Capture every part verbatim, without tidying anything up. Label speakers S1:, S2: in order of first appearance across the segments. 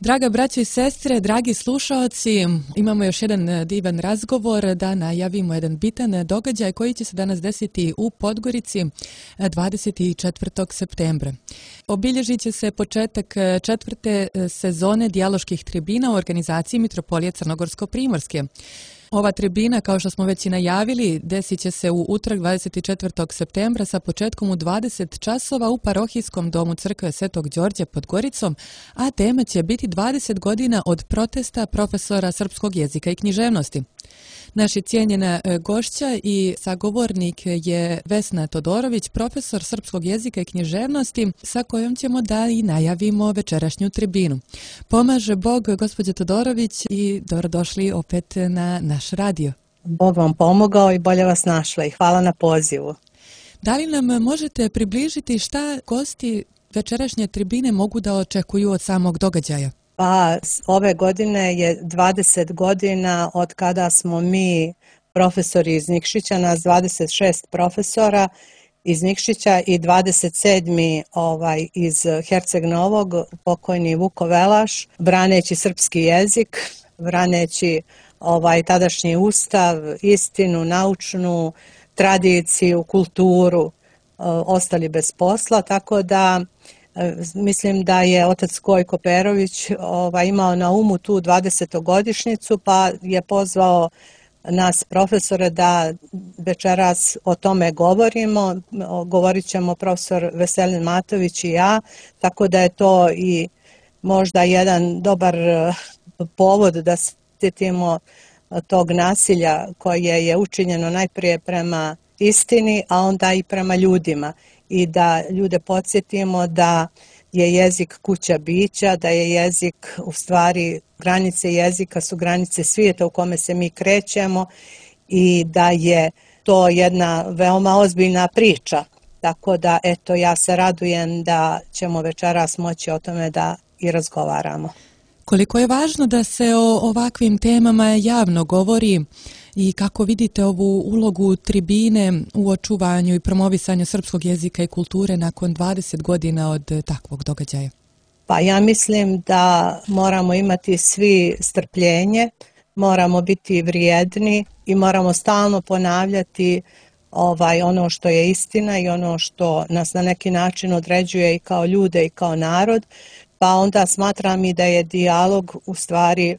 S1: Draga braćo i sestre, dragi slušaoci, imamo još jedan divan razgovor da najavimo jedan bitan događaj koji će se danas desiti u Podgorici dvadeset četvrtog septembra. Obilježit će se početak četvrte sezone dijaloških tribina u organizaciji Mitropolije Crnogorsko-Primorske. Ova tribina, kao što smo već i najavili, desit će se u utorak dvadeset četvrtog septembra sa početkom u dvadeset časova u parohijskom domu crkve Svetog Đorđa pod Goricom, a tema će biti dvadeset godina od protesta profesora srpskog jezika i književnosti. Naša cijenjena gošća i sagovornik je Vesna Todorović, profesor srpskog jezika i književnosti, sa kojom ćemo da i najavimo večerašnju tribinu. Pomaže Bog, gospođo Todorović, i dobrodošli opet na naš radio.
S2: Bog vam pomogao i bolje vas našla i hvala na pozivu.
S1: Da li nam možete približiti šta gosti večerašnje tribine mogu da očekuju od samog događaja?
S2: Pa, ove godine je dvadeset godina od kada smo mi profesori iz Nikšića, nas dvadeset šest profesora iz Nikšića i dvadeset sedmi ovaj, iz Herceg Novog, pokojni Vuko Velaš, braneći srpski jezik, braneći ovaj, tadašnji ustav, istinu, naučnu tradiciju, kulturu, ostali bez posla, tako da mislim da je otac Gojko Perović ovaj, imao na umu tu dvadesetogodišnjicu, pa je pozvao nas profesore da večeras o tome govorimo. Govorit ćemo profesor Veselin Matović i ja, tako da je to i možda jedan dobar povod da se sjetimo tog nasilja koje je učinjeno najprije prema istini, a onda i prema ljudima. I da ljude podsjetimo da je jezik kuća bića, da je jezik u stvari, granice jezika su granice svijeta u kome se mi krećemo i da je to jedna veoma ozbiljna priča. Tako da, eto, ja se radujem da ćemo večeras moći o tome da i razgovaramo.
S1: Koliko je važno da se o ovakvim temama javno govori i kako vidite ovu ulogu tribine u očuvanju i promovisanju srpskog jezika i kulture nakon dvadeset godina od takvog događaja?
S2: Pa ja mislim da moramo imati svi strpljenje, moramo biti vrijedni i moramo stalno ponavljati ovaj, ono što je istina i ono što nas na neki način određuje i kao ljude i kao narod. Pa onda smatram i da je dijalog u stvari,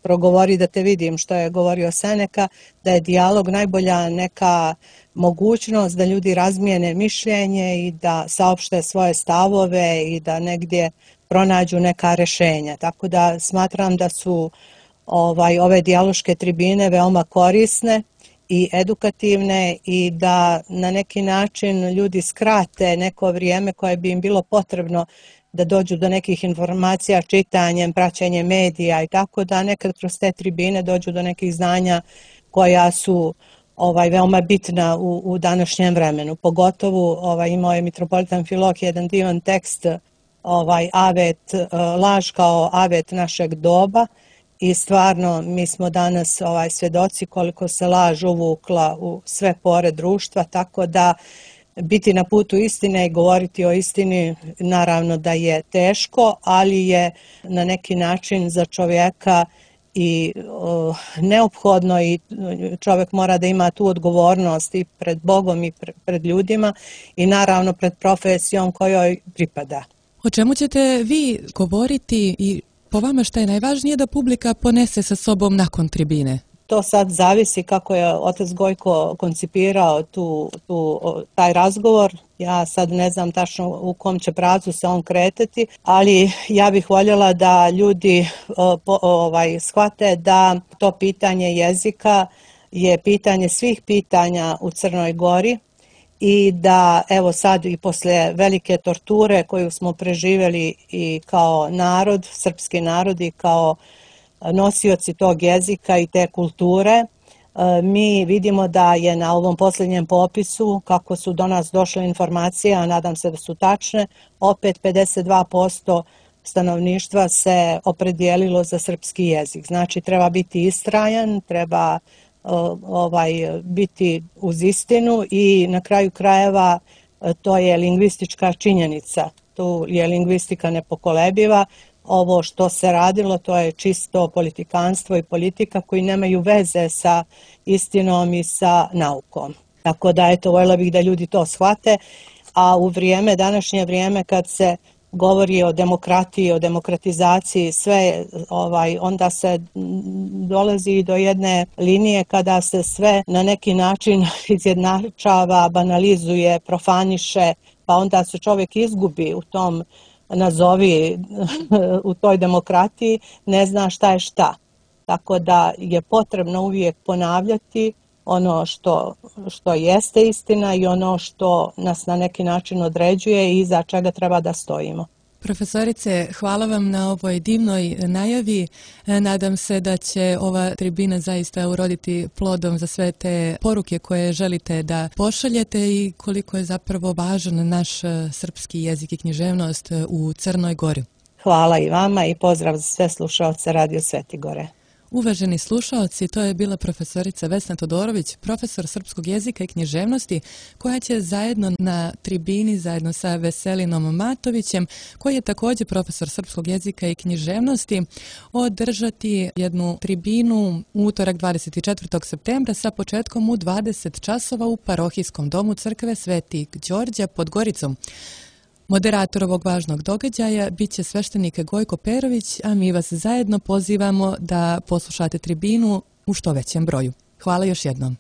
S2: progovori da te vidim što je govorio Seneka, da je dijalog najbolja neka mogućnost da ljudi razmijene mišljenje i da saopšte svoje stavove i da negdje pronađu neka rješenja. Tako da smatram da su ovaj, ove dijaloške tribine veoma korisne i edukativne i da na neki način ljudi skrate neko vrijeme koje bi im bilo potrebno da dođu do nekih informacija čitanjem, praćenjem medija i tako da nekad kroz te tribine dođu do nekih znanja koja su ovaj, veoma bitna u, u današnjem vremenu. Pogotovo ovaj, imao je mitropolitan Filohije jedan divan tekst ovaj, avet, laž kao avet našeg doba i stvarno mi smo danas ovaj, svjedoci koliko se laž uvukla u sve pore društva, tako da biti na putu istine i govoriti o istini naravno da je teško, ali je na neki način za čovjeka i o, neophodno i čovjek mora da ima tu odgovornost i pred Bogom i pred ljudima i naravno pred profesijom kojoj pripada.
S1: O čemu ćete vi govoriti i po vama šta je najvažnije da publika ponese sa sobom nakon tribine?
S2: To sad zavisi kako je otac Gojko koncipirao tu, tu, taj razgovor. Ja sad ne znam tačno u kom će pravcu se on kretati, ali ja bih voljela da ljudi po, ovaj, shvate da to pitanje jezika je pitanje svih pitanja u Crnoj Gori i da evo sad i posle velike torture koju smo preživjeli i kao narod, srpski narod i kao nosioci tog jezika i te kulture, mi vidimo da je na ovom posljednjem popisu, kako su do nas došle informacije, a nadam se da su tačne, opet pedeset dva posto stanovništva se opredijelilo za srpski jezik. Znači treba biti istrajan, treba ovaj, biti uz istinu i na kraju krajeva to je lingvistička činjenica. Tu je lingvistika nepokolebiva, ovo što se radilo, to je čisto politikanstvo i politika koji nemaju veze sa istinom i sa naukom. Tako da, eto, voljela bih da ljudi to shvate, a u vrijeme, današnje vrijeme kad se govori o demokratiji, o demokratizaciji, sve, ovaj, onda se dolazi do jedne linije kada se sve na neki način izjednačava, banalizuje, profaniše, pa onda se čovjek izgubi u tom, nazovi, u toj demokratiji, ne zna šta je šta. Tako da je potrebno uvijek ponavljati ono što, što jeste istina i ono što nas na neki način određuje i iza čega treba da stojimo.
S1: Profesorice, hvala vam na ovoj divnoj najavi. Nadam se da će ova tribina zaista uroditi plodom za sve te poruke koje želite da pošaljete i koliko je zapravo važan naš srpski jezik i književnost u Crnoj Gori.
S2: Hvala i vama i pozdrav za sve slušaoce Radio Svetigore.
S1: Uvaženi slušaoci, to je bila profesorica Vesna Todorović, profesor srpskog jezika i književnosti, koja će zajedno na tribini, zajedno sa Veselinom Matovićem, koji je također profesor srpskog jezika i književnosti, održati jednu tribinu u utorak dvadeset četvrtog septembra sa početkom u dvadeset časova u parohijskom domu crkve Svetog Đorđa pod Goricom. Moderator ovog važnog događaja bit će sveštenik Gojko Perović, a mi vas zajedno pozivamo da poslušate tribinu u što većem broju. Hvala još jednom.